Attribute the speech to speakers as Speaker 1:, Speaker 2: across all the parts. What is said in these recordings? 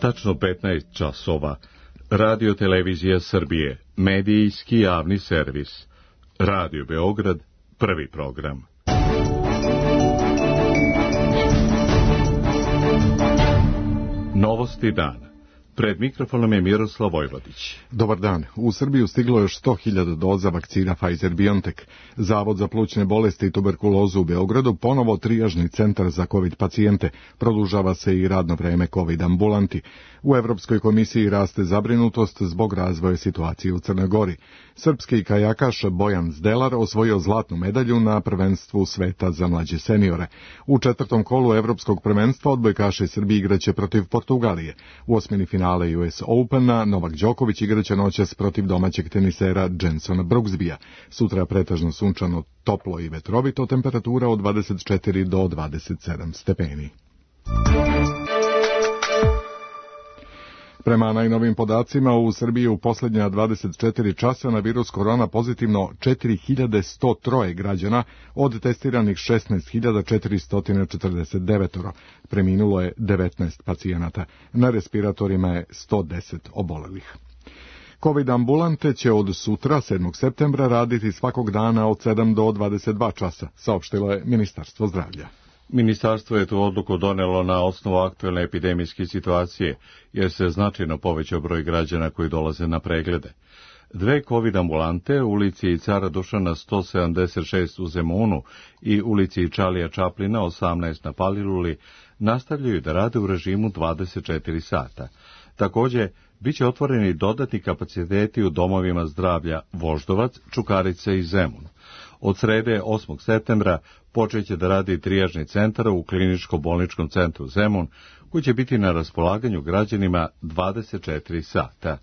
Speaker 1: tačno 15 časova. Radio Televizija Srbije, medijski javni servis. Radio Beograd, prvi program. Novosti dana. Pred mikrofonom je Miroslav Vojvodić.
Speaker 2: Dobar dan. U Srbiju stiglo još 100.000 doza vakcina Pfizer-BioNTech. Zavod za plućne bolesti i tuberkulozu u Beogradu ponovo trijažni centar za COVID pacijente. Produžava se i radno vreme COVID ambulanti. U Evropskoj komisiji raste zabrinutost zbog razvoja situacije u Crnoj Gori. Srpski kajakaš Bojan Zdelar osvojio zlatnu medalju na prvenstvu sveta za mlađe seniore. U četvrtom kolu Evropskog prvenstva odbojkaši Srbije igraće protiv Portugalije. U osmini finale US Opena Novak Đoković igraće noćas protiv domaćeg tenisera Jensona Brooksbya. Sutra pretežno sunčano, toplo i vetrovito, temperatura od 24 do 27 stepeni. Prema najnovim podacima, u Srbiji u posljednja 24 časa na virus korona pozitivno 4103 građana od testiranih 16.449. Preminulo je 19 pacijenata. Na respiratorima je 110 obolelih. COVID ambulante će od sutra, 7. septembra, raditi svakog dana od 7 do 22 časa, saopštilo je Ministarstvo zdravlja.
Speaker 1: Ministarstvo je tu odluku donelo na osnovu aktuelne epidemijske situacije, jer se značajno povećao broj građana koji dolaze na preglede. Dve COVID ambulante u ulici Cara Dušana 176 u Zemunu i ulici Čalija Čaplina 18 na Paliluli nastavljaju da rade u režimu 24 sata. Također, biće otvoreni dodatni kapaciteti u domovima zdravlja Voždovac, Čukarica i Zemun. Od srede 8. septembra počeće da radi trijažni centar u kliničko-bolničkom centru Zemun, koji će biti na raspolaganju građanima 24 sata.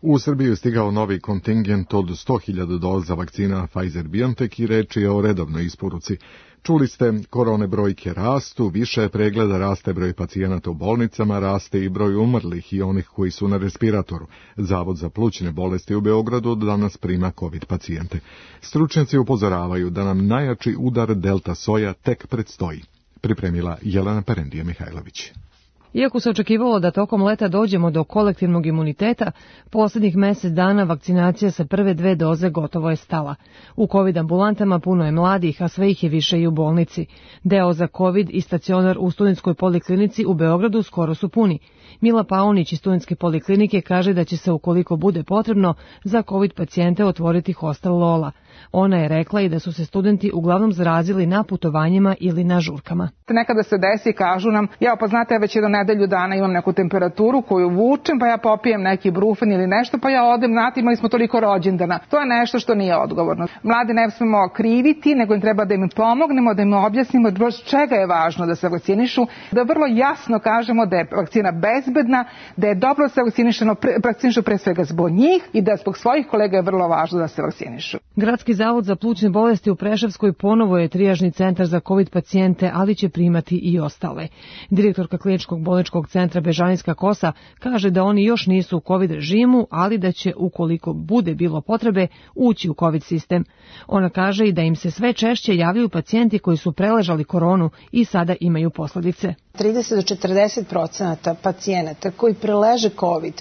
Speaker 2: U Srbiju je stigao novi kontingent od 100.000 doza vakcina Pfizer-BioNTech i reč je o redovnoj isporuci. Čuli ste, korone brojke rastu, više pregleda, raste broj pacijenata u bolnicama, raste i broj umrlih i onih koji su na respiratoru. Zavod za plućne bolesti u Beogradu danas prima COVID pacijente. Stručnjaci upozoravaju da nam najjači udar delta soja tek predstoji. Pripremila Jelena Perendija Mihajlović.
Speaker 3: Iako se očekivalo da tokom leta dođemo do kolektivnog imuniteta, posljednjih mjesec dana vakcinacija sa prve 2 doze gotovo je stala. U COVID ambulantama puno je mladih, a sve ih je više i u bolnici. Deo za COVID i stacionar u Studentskoj poliklinici u Beogradu skoro su puni. Mila Paunić iz Studentske poliklinike kaže da će se, ukoliko bude potrebno, za COVID pacijente otvoriti hostel Lola. Ona je rekla i da su se studenti uglavnom zarazili na putovanjima ili na žurkama.
Speaker 4: Nekada se desi i kažu nam, pa znate, ja već jednu nedelju dana imam neku temperaturu koju vučem, pa ja popijem neki brufen ili nešto, pa ja odem, znate, imali smo toliko rođendana. To je nešto što nije odgovorno. Mlade ne smemo kriviti, nego im treba da im pomognemo, da im objasnimo čega je važno da se vakcinišu, da vrlo jasno kažemo da je vakcina bezbedna, da je dobro da se vakcinišu pre svega zbog njih i da zbog svojih kolega je vrlo važno da se vakcinišu.
Speaker 3: Gradski zavod za plućne bolesti u Preševskoj ponovo je trijažni centar za COVID pacijente, ali će primati i ostale. Direktorka kliničkog bolničkog centra Bežanijska Kosa kaže da oni još nisu u COVID režimu, ali da će, ukoliko bude bilo potrebe, ući u COVID sistem. Ona kaže i da im se sve češće javljaju pacijenti koji su preležali koronu i sada imaju posljedice.
Speaker 5: 30 do 40% pacijenata koji preleže COVID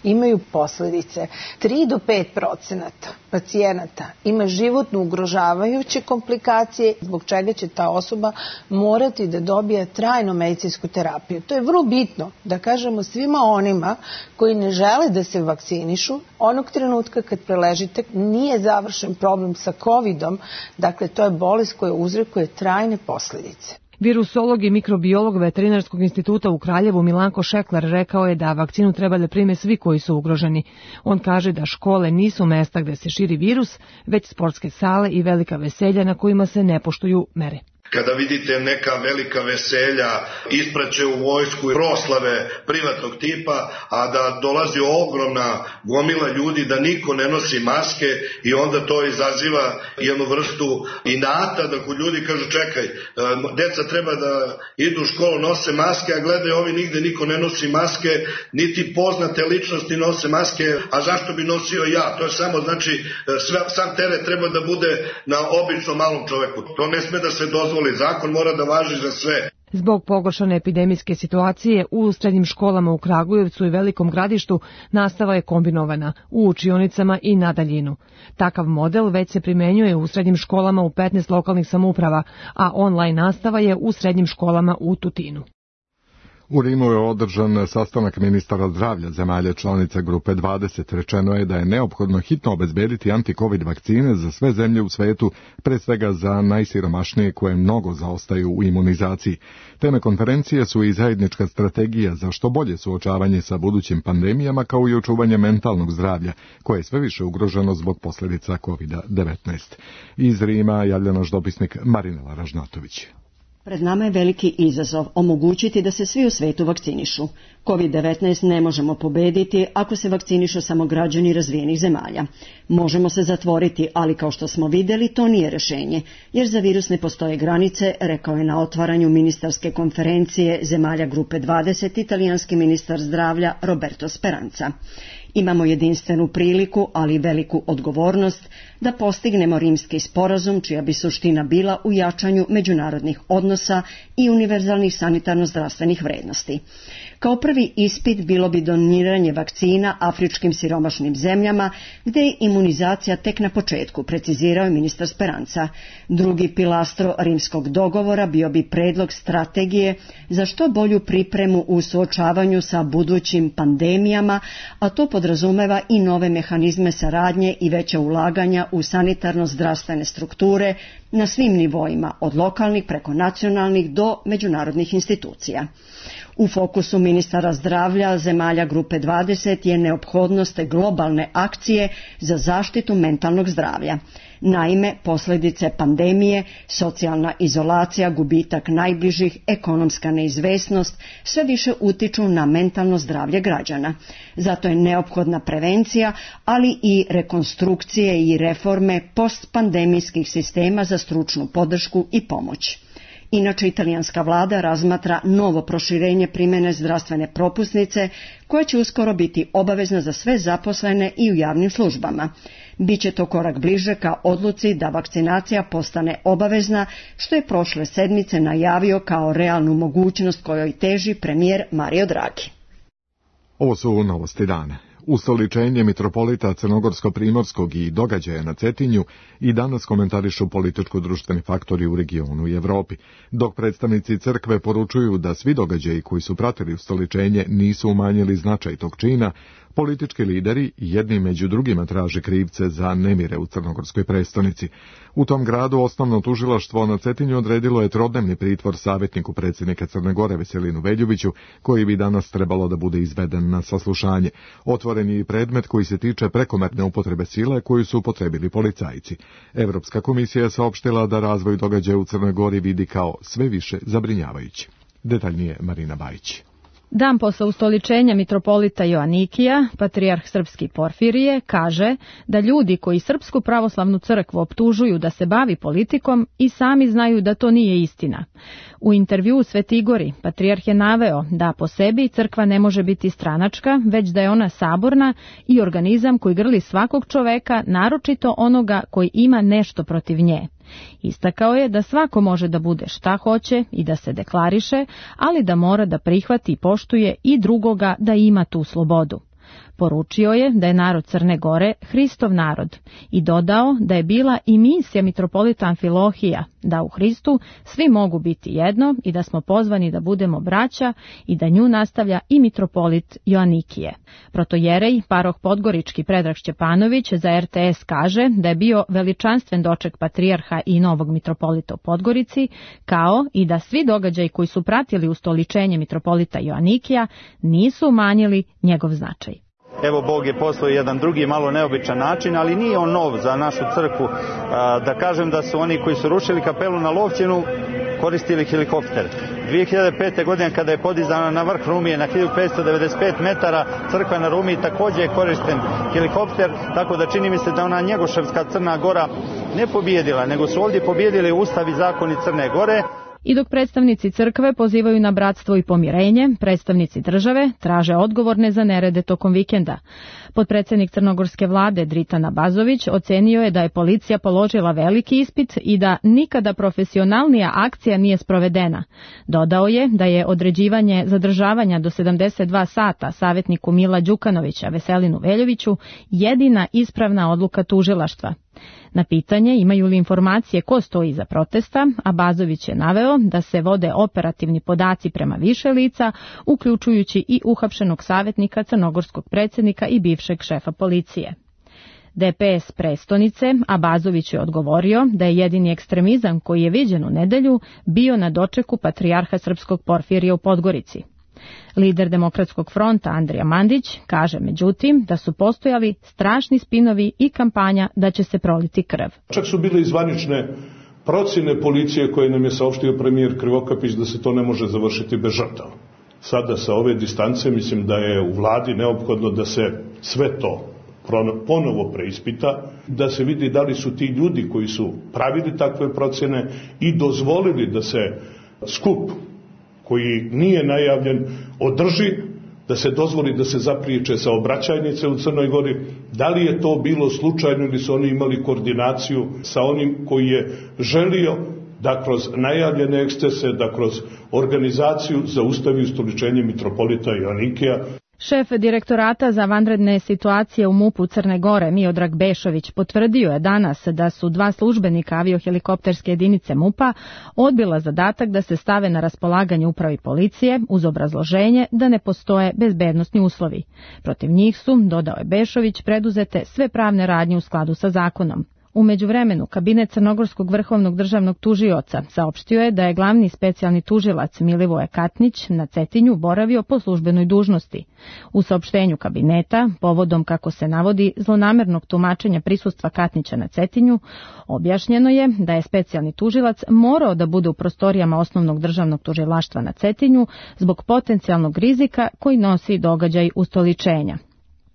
Speaker 5: imaju posljedice. 3 do 5% pacijenata ima životno ugrožavajuće komplikacije, zbog čega će ta osoba morati da dobije trajnu medicinsku terapiju. To je vrlo bitno da kažemo svima onima koji ne žele da se vakcinišu. Onog trenutka kad preležite nije završen problem sa COVID-om, dakle to je bolest koja uzrokuje trajne posljedice.
Speaker 3: Virusolog i mikrobiolog Veterinarskog instituta u Kraljevu Milanko Šeklar rekao je da vakcinu treba da prime svi koji su ugroženi. On kaže da škole nisu mesta gde se širi virus, već sportske sale i velika veselja na kojima se ne poštuju mere.
Speaker 6: Kada vidite neka velika veselja, ispraće u vojsku proslave privatnog tipa, a da dolazi ogromna gomila ljudi, da niko ne nosi maske i onda to izaziva jednu vrstu inata da kod ljudi kažu čekaj, deca treba da idu u školu, nose maske, a gledaj ovi nigde niko ne nosi maske, niti poznate ličnosti nose maske, a zašto bi nosio ja? To je samo, znači, sam teret treba da bude na običnom malom čoveku. To ne sme da se dozvoli. Zakon mora da važi za sve.
Speaker 3: Zbog pogoršane epidemijske situacije u srednjim školama u Kragujevcu i Velikom Gradištu nastava je kombinovana u učionicama i na daljinu. Takav model već se primenjuje u srednjim školama u 15 lokalnih samouprava, a online nastava je u srednjim školama u Tutinu.
Speaker 2: U Rimu je održan sastanak ministara zdravlja zemalja članica Grupe 20. Rečeno je da je neophodno hitno obezbediti anti-covid vakcine za sve zemlje u svetu, pre svega za najsiromašnije koje mnogo zaostaju u imunizaciji. Teme konferencije su i zajednička strategija za što bolje suočavanje sa budućim pandemijama, kao i očuvanje mentalnog zdravlja, koje je sve više ugroženo zbog posljedica COVID-19. Iz Rima javlja naš dopisnik Marinela Ražnatović.
Speaker 7: Pred nama je veliki izazov omogućiti da se svi u svetu vakcinišu. COVID-19 ne možemo pobediti ako se vakcinišu samo građani razvijenih zemalja. Možemo se zatvoriti, ali kao što smo vidjeli, to nije rješenje, jer za virus ne postoje granice, rekao je na otvaranju ministarske konferencije zemalja Grupe 20 italijanski ministar zdravlja Roberto Speranza. Imamo jedinstvenu priliku, ali i veliku odgovornost da postignemo rimski sporazum, čija bi suština bila u jačanju međunarodnih odnosa i univerzalnih sanitarno-zdravstvenih vrednosti. Kao prvi ispit bilo bi doniranje vakcina afričkim siromašnim zemljama, gdje je imunizacija tek na početku, precizirao je ministar Speranza. Drugi pilastro rimskog dogovora bio bi predlog strategije za što bolju pripremu u suočavanju sa budućim pandemijama, a to podrazumeva i nove mehanizme saradnje i veća ulaganja u sanitarno-zdravstvene strukture na svim nivoima, od lokalnih preko nacionalnih do međunarodnih institucija. U fokusu ministara zdravlja zemalja Grupe 20 je neophodnost globalne akcije za zaštitu mentalnog zdravlja. Naime, posljedice pandemije, socijalna izolacija, gubitak najbližih, ekonomska neizvesnost sve više utiču na mentalno zdravlje građana. Zato je neophodna prevencija, ali i rekonstrukcije i reforme postpandemijskih sistema za stručnu podršku i pomoć. Inače, italijanska vlada razmatra novo proširenje primjene zdravstvene propusnice, koja će uskoro biti obavezna za sve zaposlene i u javnim službama. Biće to korak bliže ka odluci da vakcinacija postane obavezna, što je prošle sedmice najavio kao realnu mogućnost kojoj teži premijer Mario Draghi.
Speaker 2: Ovo su novosti dana. Ustoličenje mitropolita Crnogorsko-Primorskog i događaja na Cetinju i danas komentarišu političko-društveni faktori u regionu i Evropi, dok predstavnici crkve poručuju da svi događaji koji su pratili ustoličenje nisu umanjili značaj tog čina. Politički lideri jedni među drugima traže krivce za nemire u crnogorskoj prestonici. U tom gradu osnovno tužilaštvo na Cetinju odredilo je trodnevni pritvor savjetniku predsjednika Crne Gore Veselinu Veljoviću, koji bi danas trebalo da bude izveden na saslušanje. Otvoren je i predmet koji se tiče prekomerne upotrebe sile koju su upotrebili policajci. Evropska komisija je saopštila da razvoj događaja u Crnoj Gori vidi kao sve više zabrinjavajući. Detaljnije Marina Bajić.
Speaker 8: Dan posle ustoličenja mitropolita Joanikija, patrijarh srpski Porfirije, kaže da ljudi koji Srpsku pravoslavnu crkvu optužuju da se bavi politikom i sami znaju da to nije istina. U intervjuu u Svetoj Gori, patrijarh je naveo da po sebi crkva ne može biti stranačka, već da je ona saborna i organizam koji grli svakog čoveka, naročito onoga koji ima nešto protiv nje. Istakao je da svako može da bude šta hoće i da se deklariše, ali da mora da prihvati i poštuje i drugoga da ima tu slobodu. Poručio je da je narod Crne Gore Hristov narod i dodao da je bila i misija mitropolita Amfilohija da u Hristu svi mogu biti jedno i da smo pozvani da budemo braća i da nju nastavlja i mitropolit Joanikije. Protojerej, paroh Podgorički Predrag Šćepanović za RTS kaže da je bio veličanstven doček patrijarha i novog mitropolita u Podgorici, kao i da svi događaji koji su pratili ustoličenje mitropolita Joanikija nisu umanjili njegov značaj.
Speaker 9: Evo, Bog je poslao jedan drugi, malo neobičan način, ali nije on nov za našu crkvu. Da kažem da su oni koji su rušili kapelu na Lovćenu koristili helikopter. 2005. godine kada je podizana na vrh Rumije na 1595 metara, crkva na Rumiji također je korišten helikopter, tako da čini mi se da ona Njegoševska Crna Gora ne pobjedila, nego su ovdje pobjedili Ustav i zakoni Crne Gore.
Speaker 8: I dok predstavnici crkve pozivaju na bratstvo i pomirenje, predstavnici države traže odgovorne za nerede tokom vikenda. Potpredsjednik crnogorske vlade Dritan Abazović ocenio je da je policija položila veliki ispit i da nikada profesionalnija akcija nije sprovedena. Dodao je da je određivanje zadržavanja do 72 sata savjetniku Mila Đukanovića Veselinu Veljoviću jedina ispravna odluka tužilaštva. Na pitanje imaju li informacije ko stoji iza protesta, Abazović je naveo da se vode operativni podaci prema više lica, uključujući i uhapšenog savjetnika crnogorskog predsjednika i bivšeg šefa policije. DPS prestonice Abazović je odgovorio da je jedini ekstremizam koji je viđen u nedelju bio na dočeku patrijarha srpskog Porfirija u Podgorici. Lider Demokratskog fronta Andrija Mandić kaže međutim da su postojali strašni spinovi i kampanja da će se proliti krv.
Speaker 10: Čak su bile i zvanične procjene policije koje nam je saopštio premijer Krivokapić da se to ne može završiti bez žrtava. Sada sa ove distance mislim da je u vladi neophodno da se sve to ponovo preispita, da se vidi da li su ti ljudi koji su pravili takve procjene i dozvolili da se skup koji nije najavljen održi, da se dozvoli da se zapriječe saobraćajnice u Crnoj Gori, da li je to bilo slučajno ili su oni imali koordinaciju sa onim koji je želio da kroz najavljene ekscese, da kroz organizaciju zaustavi ustoličenje mitropolita Joanikija.
Speaker 8: Šef direktorata za vanredne situacije u MUP-u Crne Gore, Miodrag Bešović, potvrdio je danas da su 2 službenika aviohelikopterske jedinice MUP-a odbila zadatak da se stave na raspolaganje upravi policije uz obrazloženje da ne postoje bezbednosni uslovi. Protiv njih su, dodao je Bešović, preduzete sve pravne radnje u skladu sa zakonom. U međuvremenu, kabinet Crnogorskog vrhovnog državnog tužioca saopštio je da je glavni specijalni tužilac Milivoje Katnić na Cetinju boravio po službenoj dužnosti. U saopštenju kabineta, povodom, kako se navodi, zlonamernog tumačenja prisustva Katnića na Cetinju, objašnjeno je da je specijalni tužilac morao da bude u prostorijama osnovnog državnog tužilaštva na Cetinju zbog potencijalnog rizika koji nosi događaj ustoličenja.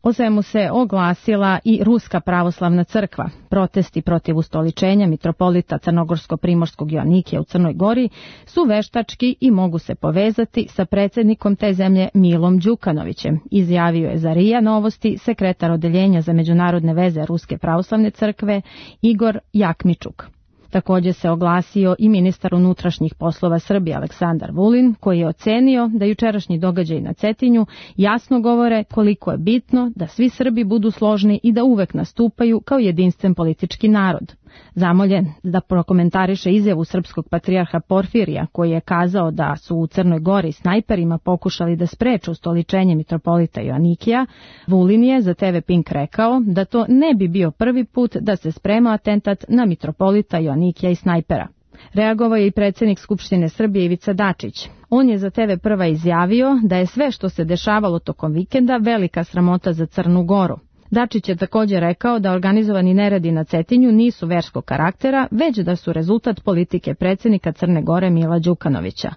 Speaker 8: O svemu se oglasila i Ruska pravoslavna crkva. Protesti protiv ustoličenja mitropolita Crnogorsko-primorskog Joanikija u Crnoj Gori su veštački i mogu se povezati sa predsjednikom te zemlje Milom Đukanovićem, izjavio je za RIA Novosti sekretar odeljenja za međunarodne veze Ruske pravoslavne crkve Igor Jakmičuk. Također se oglasio i ministar unutrašnjih poslova Srbije Aleksandar Vulin, koji je ocenio da jučerašnji događaji na Cetinju jasno govore koliko je bitno da svi Srbi budu složni i da uvek nastupaju kao jedinstven politički narod. Zamoljen da prokomentariše izjavu srpskog patrijarha Porfirija, koji je kazao da su u Crnoj Gori snajperima pokušali da spreče ustoličenje mitropolita Joanikija, Vulin je za TV Pink rekao da to ne bi bio prvi put da se sprema atentat na mitropolita Joanikija i snajpera. Reagovao je i predsjednik Skupštine Srbije Ivica Dačić. On je za TV Prva izjavio da je sve što se dešavalo tokom vikenda velika sramota za Crnu Goru. Dačić je također rekao da organizovani neredi na Cetinju nisu verskog karaktera, već da su rezultat politike predsjednika Crne Gore Mila Đukanovića.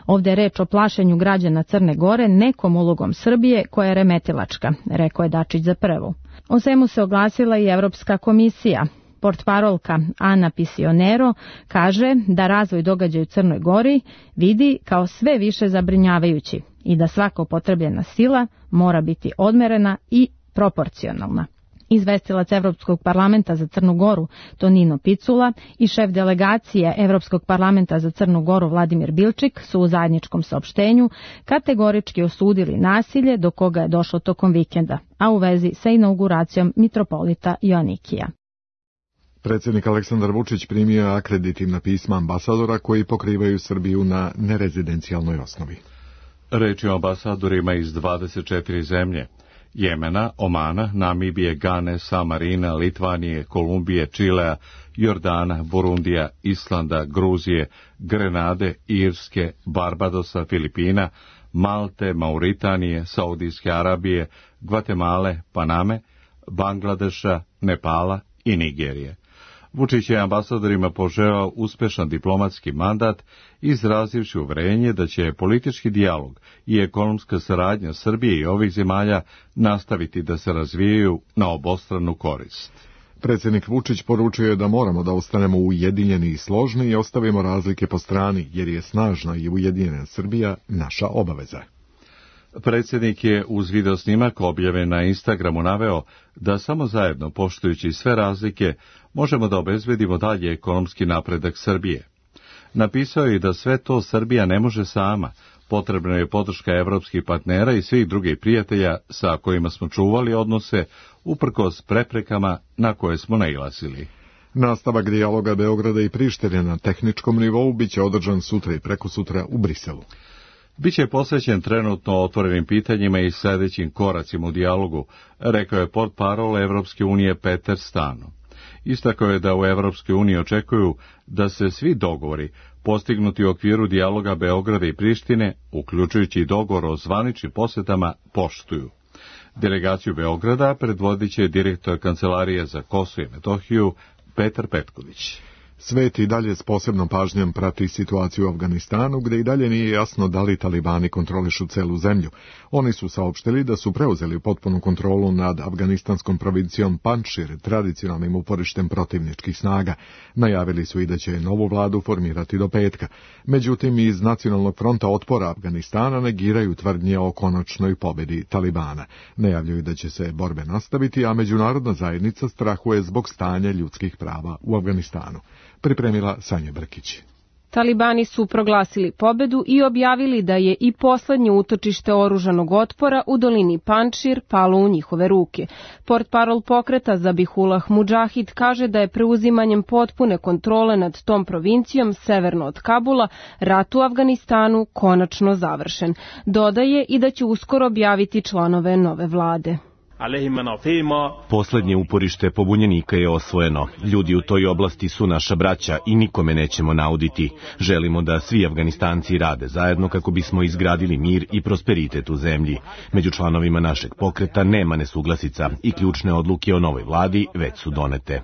Speaker 8: Ovdje je reč o plašenju građana Crne Gore nekom ulogom Srbije koja je remetilačka, rekao je Dačić za Prvu. O svemu se oglasila i Evropska komisija. Portparolka Ana Pisionero kaže da razvoj događaja u Crnoj Gori vidi kao sve više zabrinjavajući i da svaka upotrebljena sila mora biti odmerena i proporcionalna. Izvestilac Evropskog parlamenta za Crnu Goru Tonino Picula i šef delegacije Evropskog parlamenta za Crnu Goru Vladimir Bilčik su u zajedničkom saopštenju kategorički osudili nasilje do koga je došlo tokom vikenda, a u vezi sa inauguracijom mitropolita Joanikija.
Speaker 2: Predsjednik Aleksandar Vučić primio je akreditivna pisma ambasadora koji pokrivaju Srbiju na nerezidencijalnoj osnovi.
Speaker 1: Reč je o ambasadorima iz 24 zemlje. Jemena, Omana, Namibije, Gane, Samarina, Litvanije, Kolumbije, Čilea, Jordana, Burundija, Islanda, Gruzije, Grenade, Irske, Barbadosa, Filipina, Malte, Mauritanije, Saudijske Arabije, Gvatemale, Paname, Bangladeša, Nepala i Nigerije. Vučić je ambasadorima poželeo uspešan diplomatski mandat, izrazivši uverenje da će politički dijalog i ekonomska saradnja Srbije i ovih zemalja nastaviti da se razvijaju na obostranu korist.
Speaker 2: Predsjednik Vučić poručio je da moramo da ostanemo ujedinjeni i složni i ostavimo razlike po strani, jer je snažna i ujedinjena Srbija naša obaveza.
Speaker 1: Predsjednik je uz video snimak objavljen na Instagramu naveo da samo zajedno, poštujući sve razlike, možemo da obezbedimo dalje ekonomski napredak Srbije. Napisao je i da sve to Srbija ne može sama, potrebna je podrška evropskih partnera i svih drugih prijatelja sa kojima smo čuvali odnose, uprkos preprekama na koje smo nailazili.
Speaker 2: Nastavak dijaloga Beograda i Prištine na tehničkom nivou biće održan sutra i prekosutra u Briselu.
Speaker 1: Biće posvećen trenutno otvorenim pitanjima i sljedećim koracima u dijalogu, rekao je portparol Evropske unije Peter Stano. Istakao je da u Evropskoj uniji očekuju da se svi dogovori postignuti u okviru dijaloga Beograda i Prištine, uključujući dogovor o zvaničnim posjetama, poštuju. Delegaciju Beograda predvodit će direktor Kancelarije za Kosovo i Metohiju Petar Petković.
Speaker 2: Svet i dalje s posebnom pažnjom prati situaciju u Afganistanu, gdje i dalje nije jasno da li talibani kontrolišu celu zemlju. Oni su saopštili da su preuzeli potpunu kontrolu nad afganistanskom provincijom Panjšir, tradicionalnim uporištem protivničkih snaga. Najavili su i da će novu vladu formirati do petka. Međutim, iz Nacionalnog fronta otpora Afganistana negiraju tvrdnje o konačnoj pobedi talibana. Najavljuju da će se borbe nastaviti, a međunarodna zajednica strahuje zbog stanja ljudskih prava u Afganistanu. Pripremila Sanja Brkić.
Speaker 11: Talibani su proglasili pobedu i objavili da je i poslednje utočište oružanog otpora u dolini Panjšir palo u njihove ruke. Portparol pokreta Zabihullah Mudžahid kaže da je preuzimanjem potpune kontrole nad tom provincijom severno od Kabula rat u Afganistanu konačno završen. Dodaje i da će uskoro objaviti članove nove vlade.
Speaker 12: Poslednje uporište pobunjenika je osvojeno. Ljudi u toj oblasti su naša braća i nikome nećemo nauditi. Želimo da svi Afganistanci rade zajedno kako bismo izgradili mir i prosperitet u zemlji. Među članovima našeg pokreta nema nesuglasica i ključne odluke o novoj vladi već su donete.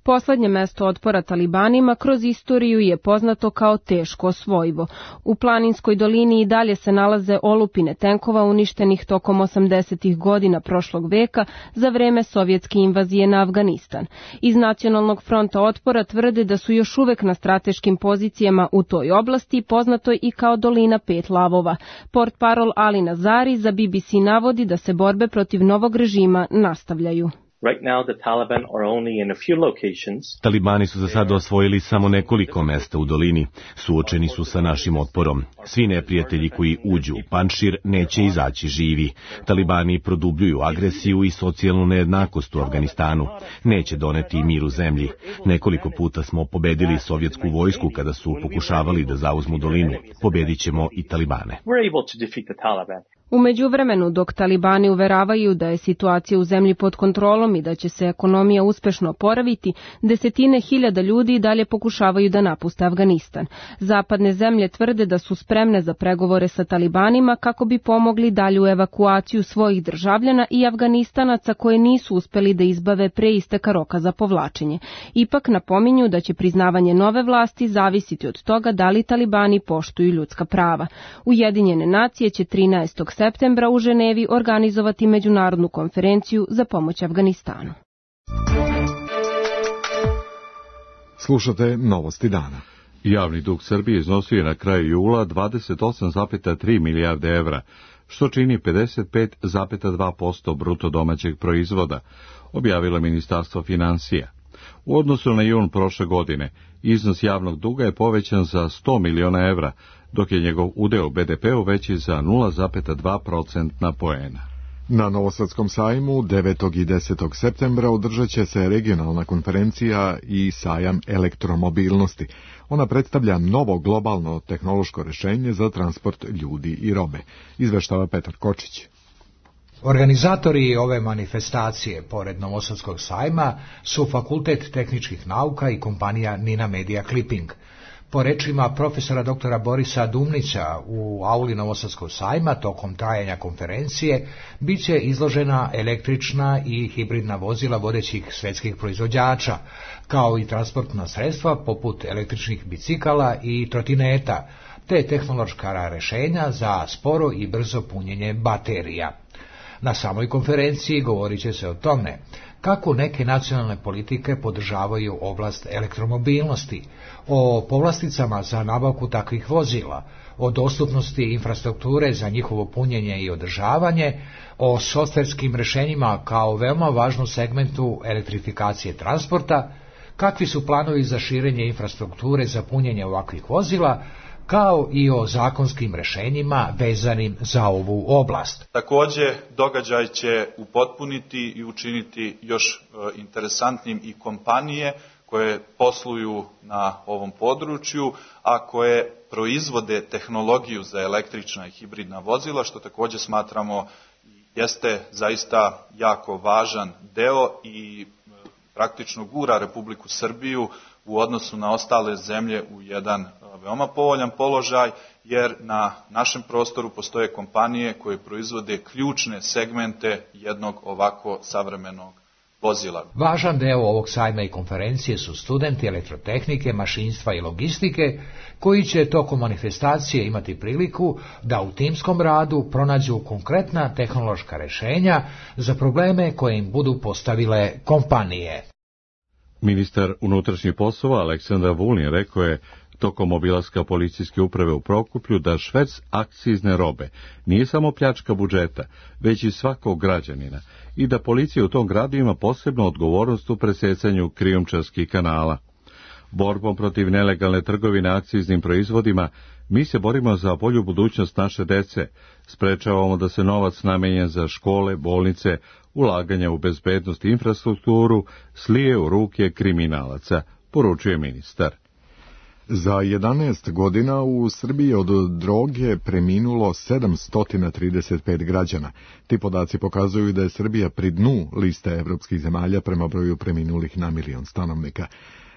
Speaker 11: Poslednje mesto otpora talibanima kroz istoriju je poznato kao teško osvojivo. U planinskoj dolini i dalje se nalaze olupine tenkova uništenih tokom 80. godina prošlog veka za vreme sovjetske invazije na Afganistan. Iz Nacionalnog fronta otpora tvrde da su još uvek na strateškim pozicijama u toj oblasti, poznatoj i kao dolina pet lavova. Portparol Ali Nazari za BBC navodi da se borbe protiv novog režima nastavljaju.
Speaker 12: Talibani su za sada osvojili samo nekoliko mesta u dolini. Suočeni su sa našim otporom. Svi neprijatelji koji uđu u Panjšir neće izaći živi. Talibani produbljuju agresiju i socijalnu nejednakost u Afganistanu. Neće doneti mir u zemlji. Nekoliko puta smo pobedili sovjetsku vojsku kada su pokušavali da zauzmu dolinu. Pobedit ćemo i Talibane.
Speaker 11: U međuvremenu, dok talibani uveravaju da je situacija u zemlji pod kontrolom i da će se ekonomija uspešno oporaviti, desetine hiljada ljudi dalje pokušavaju da napuste Afganistan. Zapadne zemlje tvrde da su spremne za pregovore sa talibanima kako bi pomogli dalju evakuaciju svojih državljana i Afganistanaca koje nisu uspeli da izbave pre isteka roka za povlačenje. Ipak napominju da će priznavanje nove vlasti zavisiti od toga da li talibani poštuju ljudska prava. Ujedinjene nacije će 13. septembra u Ženevi organizovati međunarodnu konferenciju za pomoć Afganistanu.
Speaker 2: Slušate novosti dana.
Speaker 1: Javni dug Srbije iznosio je na kraju jula 28,3 milijarde evra, što čini 55,2% bruto domaćeg proizvoda, objavilo Ministarstvo finansija. U odnosu na jun prošle godine, iznos javnog duga je povećan za 100 miliona evra, dok je njegov udeo u BDP-u veći za 0,2% poena.
Speaker 2: Na Novosadskom sajmu 9. i 10. septembra održat će se regionalna konferencija i sajam elektromobilnosti. Ona predstavlja novo globalno tehnološko rešenje za transport ljudi i robe, izveštava Petar Kočić.
Speaker 13: Organizatori ove manifestacije, pored Novosadskog sajma, su Fakultet tehničkih nauka i kompanija Nina Media Clipping. Po rečima profesora doktora Borisa Dumnića u auli Novosadskog sajma tokom trajanja konferencije bit će izložena električna i hibridna vozila vodećih svetskih proizvođača, kao i transportna sredstva poput električnih bicikala i trotineta, te tehnološka rešenja za sporo i brzo punjenje baterija. Na samoj konferenciji govorit će se o tome kako neke nacionalne politike podržavaju oblast elektromobilnosti, o povlasticama za nabavku takvih vozila, o dostupnosti infrastrukture za njihovo punjenje i održavanje, o softverskim rešenjima kao veoma važnom segmentu elektrifikacije transporta, kakvi su planovi za širenje infrastrukture za punjenje ovakvih vozila, kao i o zakonskim rešenjima vezanim za ovu oblast.
Speaker 14: Takođe, događaj će upotpuniti i učiniti još interesantnim i kompanije koje posluju na ovom području, a koje proizvode tehnologiju za električna i hibridna vozila, što takođe smatramo jeste zaista jako važan deo i praktično gura Republiku Srbiju u odnosu na ostale zemlje u jedan veoma povoljan položaj, jer na našem prostoru postoje kompanije koje proizvode ključne segmente jednog ovako savremenog vozila.
Speaker 13: Važan deo ovog sajma i konferencije su studenti elektrotehnike, mašinstva i logistike, koji će tokom manifestacije imati priliku da u timskom radu pronađu konkretna tehnološka rešenja za probleme koje im budu postavile kompanije.
Speaker 1: Ministar unutrašnjih poslova Aleksandar Vulin rekao je tokom obilaska policijske uprave u Prokuplju da šverc akcizne robe nije samo pljačka budžeta, već i svakog građanina i da policija u tom gradu ima posebnu odgovornost u presecanju krijumčarskih kanala. Borbom protiv nelegalne trgovine akciznim proizvodima mi se borimo za bolju budućnost naše dece, sprečavamo da se novac namenjen za škole, bolnice, ulaganja u bezbednost i infrastrukturu slije u ruke kriminalaca, poručuje ministar.
Speaker 2: Za 11 godina u Srbiji od droge preminulo 735 građana. Ti podaci pokazuju da je Srbija pri dnu liste evropskih zemalja prema broju preminulih na milion stanovnika.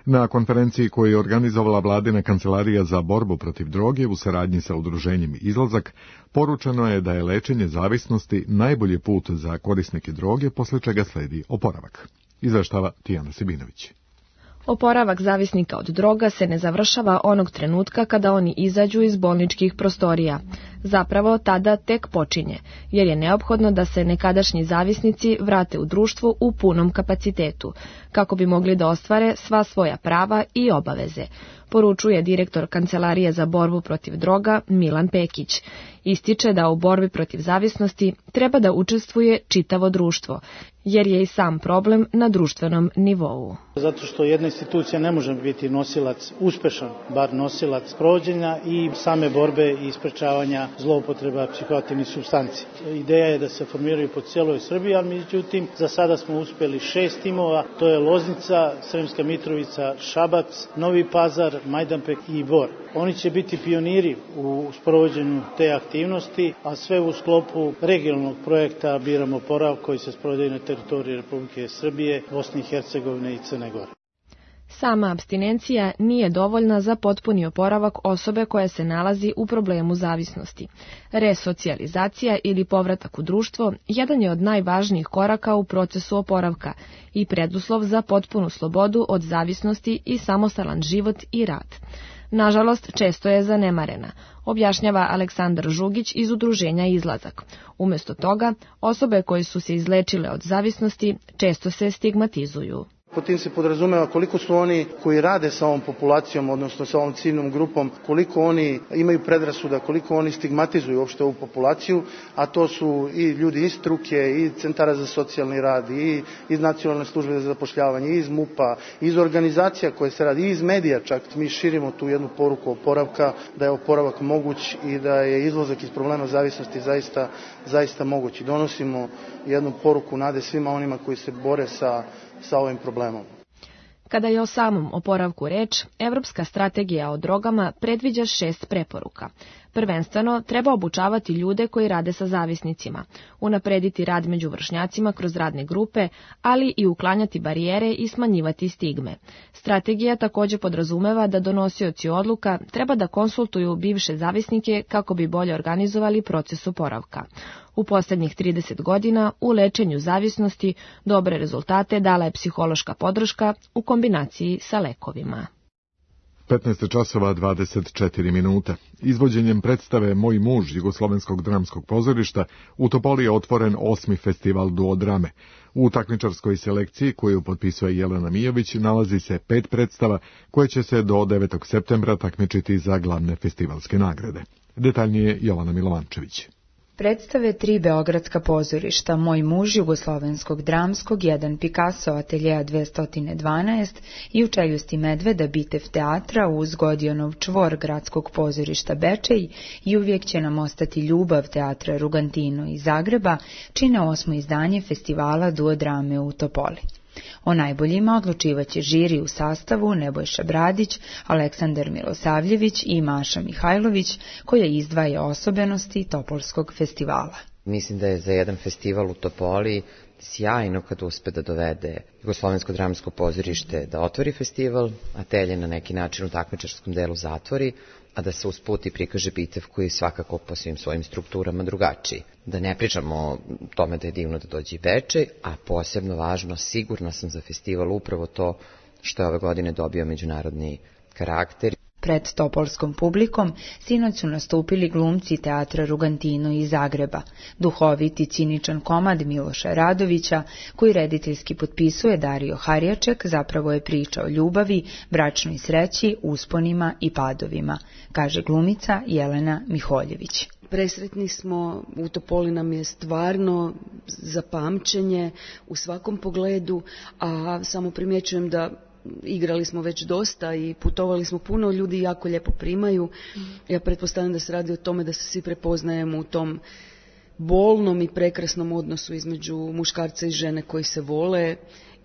Speaker 2: Na konferenciji koju je organizovala vladina kancelarija za borbu protiv droge u saradnji sa udruženjem Izlazak, poručeno je da je lečenje zavisnosti najbolji put za korisnike droge, posle čega sledi oporavak. Izveštava Tijana Sibinović.
Speaker 11: Oporavak zavisnika od droga se ne završava onog trenutka kada oni izađu iz bolničkih prostorija. Zapravo tada tek počinje, jer je neophodno da se nekadašnji zavisnici vrate u društvo u punom kapacitetu, kako bi mogli da ostvare sva svoja prava i obaveze, poručuje direktor Kancelarije za borbu protiv droga Milan Pekić. Ističe da u borbi protiv zavisnosti treba da učestvuje čitavo društvo, jer je i sam problem na društvenom nivou.
Speaker 15: Zato što jedna institucija ne može biti nosilac, uspešan, bar nosilac sprovođenja i same borbe i sprečavanja zloupotreba psihoaktivnih supstanci. Ideja je da se formiraju po cijeloj Srbiji, ali međutim za sada smo uspeli 6 timova, to je Loznica, Sremska Mitrovica, Šabac, Novi Pazar, Majdanpek i Bor. Oni će biti pioniri u sprovođenju te aktivnosti, a sve u sklopu regionalnog projekta Biramo oporavak koji se sprovodi na teritoriji Republike Srbije, Bosne i Hercegovine i Crne Gore.
Speaker 11: Sama apstinencija nije dovoljna za potpuni oporavak osobe koja se nalazi u problemu zavisnosti. Resocijalizacija ili povratak u društvo jedan je od najvažnijih koraka u procesu oporavka i preduslov za potpunu slobodu od zavisnosti i samostalan život i rad. Nažalost, često je zanemarena, objašnjava Aleksandar Žugić iz udruženja Izlazak. Umjesto toga, osobe koje su se izlečile od zavisnosti često se stigmatizuju.
Speaker 15: Po tim se podrazumeva koliko su oni koji rade sa ovom populacijom, odnosno sa ovom ciljnom grupom, koliko oni imaju predrasuda, koliko oni stigmatizuju uopšte ovu populaciju, a to su i ljudi iz struke, i centara za socijalni rad, i iz nacionalne službe za zapošljavanje, i iz MUP-a, iz organizacija koje se radi, i iz medija čak. Mi širimo tu jednu poruku oporavka, da je oporavak moguć i da je izlazak iz problema zavisnosti zaista moguć. I donosimo jednu poruku nade svima onima koji se bore sa ovim problemom.
Speaker 11: Kada je o samom oporavku reč, Evropska strategija o drogama predviđa 6 preporuka. Prvenstveno, treba obučavati ljude koji rade sa zavisnicima, unaprediti rad među vršnjacima kroz radne grupe, ali i uklanjati barijere i smanjivati stigme. Strategija također podrazumeva da donosioci odluka treba da konsultuju bivše zavisnike kako bi bolje organizovali proces oporavka. U posljednjih 30 godina u lečenju zavisnosti dobre rezultate dala je psihološka podrška u kombinaciji sa lekovima.
Speaker 2: 15 časova 24 minuta. Izvođenjem predstave Moj muž Jugoslovenskog dramskog pozorišta u Topoli je otvoren 8. festival duodrame. U takmičarskoj selekciji koju potpisuje Jelena Mijović nalazi se 5 predstava koje će se do 9. septembra takmičiti za glavne festivalske nagrade. Detaljnije Jovana Milovančević.
Speaker 16: Predstave 3 beogradska pozorišta, Moj muž Jugoslovenskog dramskog, 1 Picasso ateljeja 212 i U čeljusti medveda Bitev teatra uz Godijonov čvor gradskog pozorišta Bečej i Uvijek će nam ostati ljubav teatra Rugantino iz Zagreba čine 8. izdanje festivala duodrame u Topoli. O najboljima odlučivaće žiri u sastavu Nebojša Bradić, Aleksandar Milosavljević i Maša Mihajlović, koja izdvaja osobenosti Topolskog festivala.
Speaker 17: Mislim da je za jedan festival u Topoli sjajno kad uspe da dovede Jugoslovensko dramsko pozorište da otvori festival, atelje na neki način u takmičarskom delu zatvori, a da se usput i prikaže Bitev koji je svakako po svim svojim strukturama drugačiji. Da ne pričamo o tome da je divno da dođe i Bečej, a posebno važno, sigurna sam za festival upravo to što je ove godine dobio međunarodni karakter.
Speaker 16: Pred topolskom publikom sinoć su nastupili glumci teatra Rugantino iz Zagreba, duhoviti ciničan komad Miloša Radovića, koji rediteljski potpisuje Dario Harjaček, zapravo je priča o ljubavi, bračnoj sreći, usponima i padovima, kaže glumica Jelena Miholjević.
Speaker 18: Presretni smo, u Topoli nam je stvarno za pamćenje u svakom pogledu, a samo primjećujem da igrali smo već dosta i putovali smo puno, ljudi jako lijepo primaju. Ja pretpostavljam da se radi o tome da se svi prepoznajemo u tom bolnom i prekrasnom odnosu između muškarca i žene koji se vole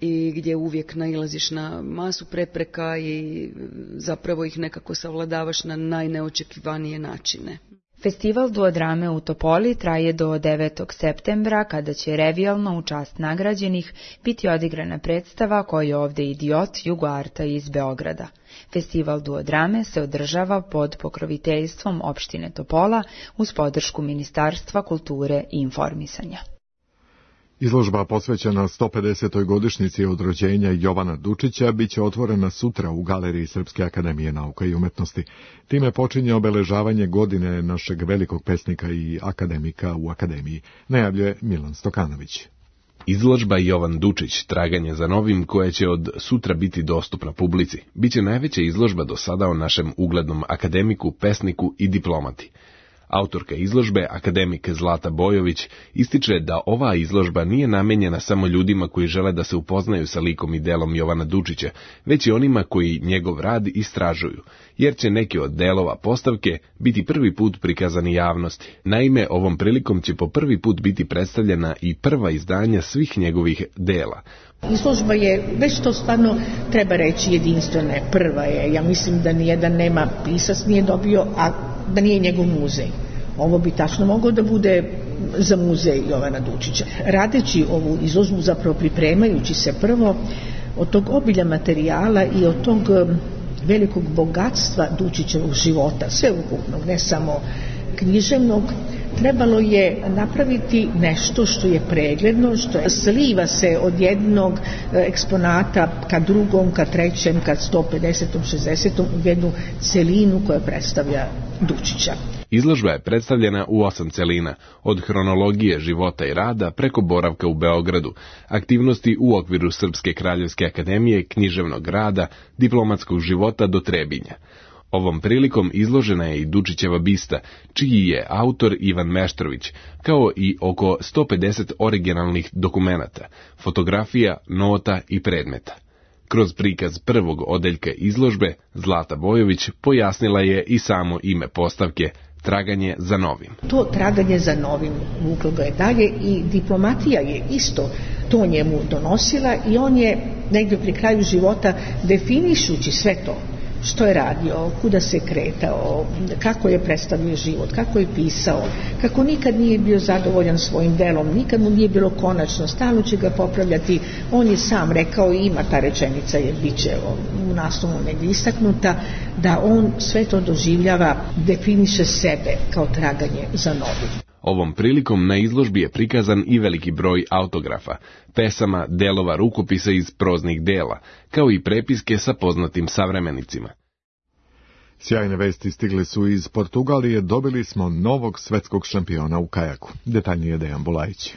Speaker 18: i gdje uvijek nailaziš na masu prepreka i zapravo ih nekako savladavaš na najneočekivanije načine.
Speaker 16: Festival duodrame u Topoli traje do 9. septembra, kada će revijalno u čast nagrađenih biti odigrana predstava Ko je ovde idiot Jugoarta iz Beograda. Festival duodrame se održava pod pokroviteljstvom opštine Topola uz podršku Ministarstva kulture i informisanja.
Speaker 2: Izložba posvećena 150. godišnjici od rođenja Jovana Dučića biće otvorena sutra u Galeriji Srpske akademije nauka i umetnosti. Time počinje obeležavanje godine našeg velikog pesnika i akademika u akademiji, najavljuje Milan Stokanović.
Speaker 19: Izložba Jovan Dučić, traganje za novim, koja će od sutra biti dostupna publici, biće najveća izložba do sada o našem uglednom akademiku, pesniku i diplomati. Autorka izložbe, akademik Zlata Bojović, ističe da ova izložba nije namenjena samo ljudima koji žele da se upoznaju sa likom i delom Jovana Dučića, već i onima koji njegov rad istražuju, jer će neki od delova postavke biti prvi put prikazani javnosti. Naime, ovom prilikom će po prvi put biti predstavljena i prva izdanja svih njegovih dela.
Speaker 20: Izložba je, već to stvarno treba reći, jedinstvena, prva je. Ja mislim da nijedan nema pisac nije dobio, a da nije njegov muzej. Ovo bi tačno moglo da bude za muzej Jovana Dučića. Radeći ovu izložbu, zapravo pripremajući se prvo od tog obilja materijala i od tog velikog bogatstva Dučićevog života, sveukupnog, ne samo književnog, trebalo je napraviti nešto što je pregledno, što je sliva se od jednog eksponata ka drugom, ka trećem, ka 150. 60. u jednu celinu koja predstavlja Dučića.
Speaker 19: Izložba je predstavljena u 8 celina, od hronologije života i rada preko boravka u Beogradu, aktivnosti u okviru Srpske kraljevske akademije, književnog rada, diplomatskog života do Trebinja. Ovom prilikom izložena je i Dučićeva bista, čiji je autor Ivan Meštrović, kao i oko 150 originalnih dokumenata, fotografija, nota i predmeta. Kroz prikaz prvog odeljka izložbe, Zlata Bojović pojasnila je i samo ime postavke, traganje za novim.
Speaker 20: To traganje za novim vuklo ga je dalje i diplomatija je isto to njemu donosila i on je negdje pri kraju života, definišući sve to, što je radio, kuda se kretao, kako je predstavio život, kako je pisao, kako nikad nije bio zadovoljan svojim delom, nikad mu nije bilo konačno, stalno će ga popravljati. On je sam rekao, i ima ta rečenica, je biće u naslovu negdje istaknuta, da on sve to doživljava, definiše sebe kao traganje za novim.
Speaker 19: Ovom prilikom na izložbi je prikazan i veliki broj autografa, pesama, delova rukopisa iz proznih dela, kao i prepiske sa poznatim savremenicima.
Speaker 2: Sjajne vesti stigle su iz Portugalije, dobili smo novog svetskog šampiona u kajaku. Detaljnije Dejan Bulajić.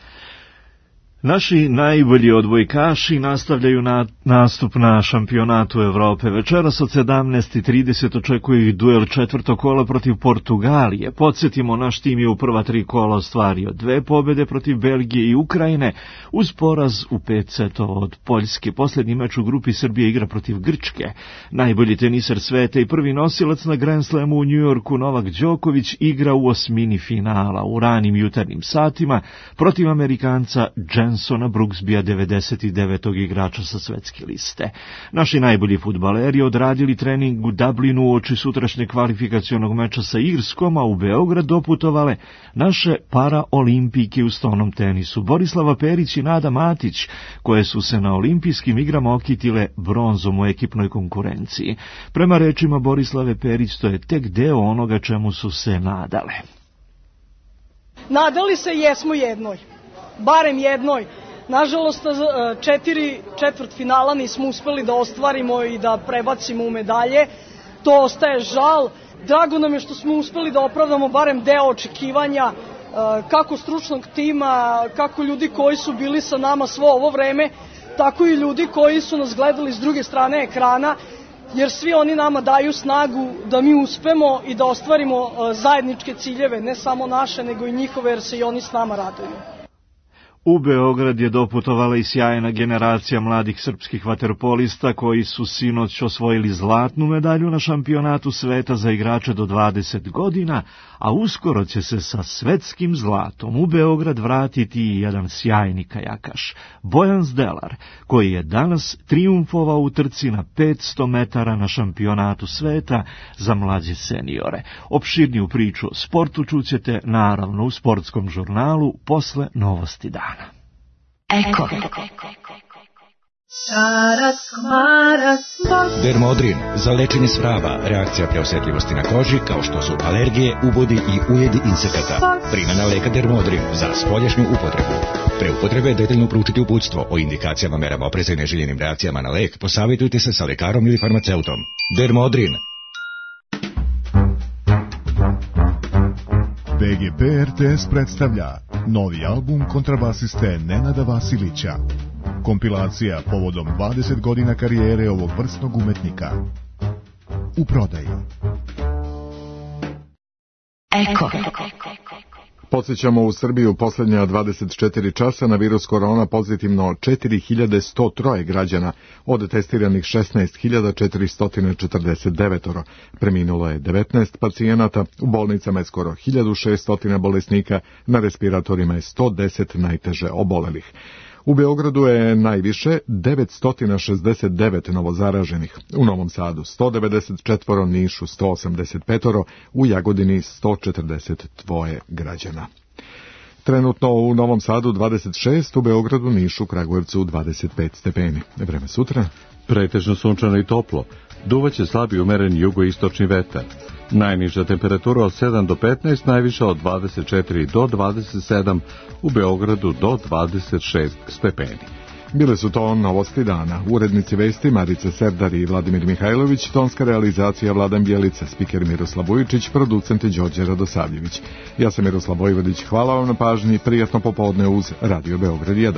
Speaker 21: Naši najbolji odbojkaši nastavljaju nastup na šampionatu Evrope. Večeras od 17:30 očekuje ih duel četvrtog kola protiv Portugalije. Podsjetimo, naš tim je u prva 3 kola ostvario 2 pobjede protiv Belgije i Ukrajine uz poraz u 5 setova od Poljske. Posljednji meč u grupi Srbije igra protiv Grčke. Najbolji teniser sveta i prvi nosilac na Grand Slamu u Njujorku Novak Đoković igra u osmini finala u ranim jutarnjim satima protiv Amerikanca Jensona Brooksbya, 99. igrača sa svetske liste. Naši najbolji fudbaleri odradili trening u Dublinu uoči sutrašnjeg kvalifikacionog meča sa Irskom, a u Beograd doputovale naše paraolimpijke u stonom tenisu. Borislava Perić i Nada Matić, koje su se na olimpijskim igrama okitile bronzom u ekipnoj konkurenciji. Prema rečima Borislave Perić, to je tek deo onoga čemu su se nadale.
Speaker 22: Nadali se jesmo jednoj. Barem jednoj. Nažalost, 4 četvrtfinala nismo uspeli da ostvarimo i da prebacimo u medalje. To ostaje žal. Drago nam je što smo uspeli da opravdamo barem deo očekivanja kako stručnog tima, kako ljudi koji su bili sa nama svo ovo vreme, tako i ljudi koji su nas gledali s druge strane ekrana, jer svi oni nama daju snagu da mi uspemo i da ostvarimo zajedničke ciljeve, ne samo naše, nego i njihove, jer se i oni s nama raduju.
Speaker 21: U Beograd je doputovala i sjajna generacija mladih srpskih vaterpolista koji su sinoć osvojili zlatnu medalju na šampionatu sveta za igrače do 20 godina, a uskoro će se sa svetskim zlatom u Beograd vratiti i jedan sjajni kajakaš, Bojan Zdelar, koji je danas trijumfovao u trci na 500 metara na šampionatu sveta za mlađe seniore. Opširniju priču o sportu čućete naravno u sportskom žurnalu posle novosti dana.
Speaker 23: Eko. Dermodrin za lečenje svraba, reakcija preosetljivosti na koži kao što su alergije, ubodi i ujedi insekata. Primjena leka Dermodrin za spoljašnju upotrebu. Pre upotrebe detaljno proučiti uputstvo o indikacijama, merama opreza i neželjenim reakcijama na lek. Posavjetujte se sa lekarom ili farmaceutom. Dermodrin.
Speaker 24: BGP RTS predstavlja novi album kontrabasiste Nenada Vasilića. Kompilacija povodom 20 godina karijere ovog vrsnog umetnika. U prodaji.
Speaker 23: Eko.
Speaker 2: Podsjećamo, u Srbiju posljednja 24 časa na virus korona pozitivno 4103 građana, od testiranih 16.449. Preminulo je 19 pacijenata, u bolnicama je skoro 1600 bolesnika, na respiratorima je 110 najteže obolelih. U Beogradu je najviše 969 novozaraženih, u Novom Sadu 194, Nišu 185, u Jagodini 142 građana. Trenutno u Novom Sadu 26, u Beogradu, Nišu, Kragujevcu 25 stepeni. Vreme sutra?
Speaker 1: Pretežno sunčano i toplo. Duvaće slabi umeren jugoistočni vetar. Najniža temperatura od 7 do 15, najviša od 24 do 27, u Beogradu do 26 stepeni.
Speaker 2: Bile su to novosti dana. Urednici vesti Marica Serdar i Vladimir Mihajlović, tonska realizacija Vladan Bjelica, spiker Miroslav Vujičić, producent Đorđe Radosavljević. Ja sam Miroslav Vojvodić, hvala vam na pažnji, prijatno popodne uz Radio Beograd 1.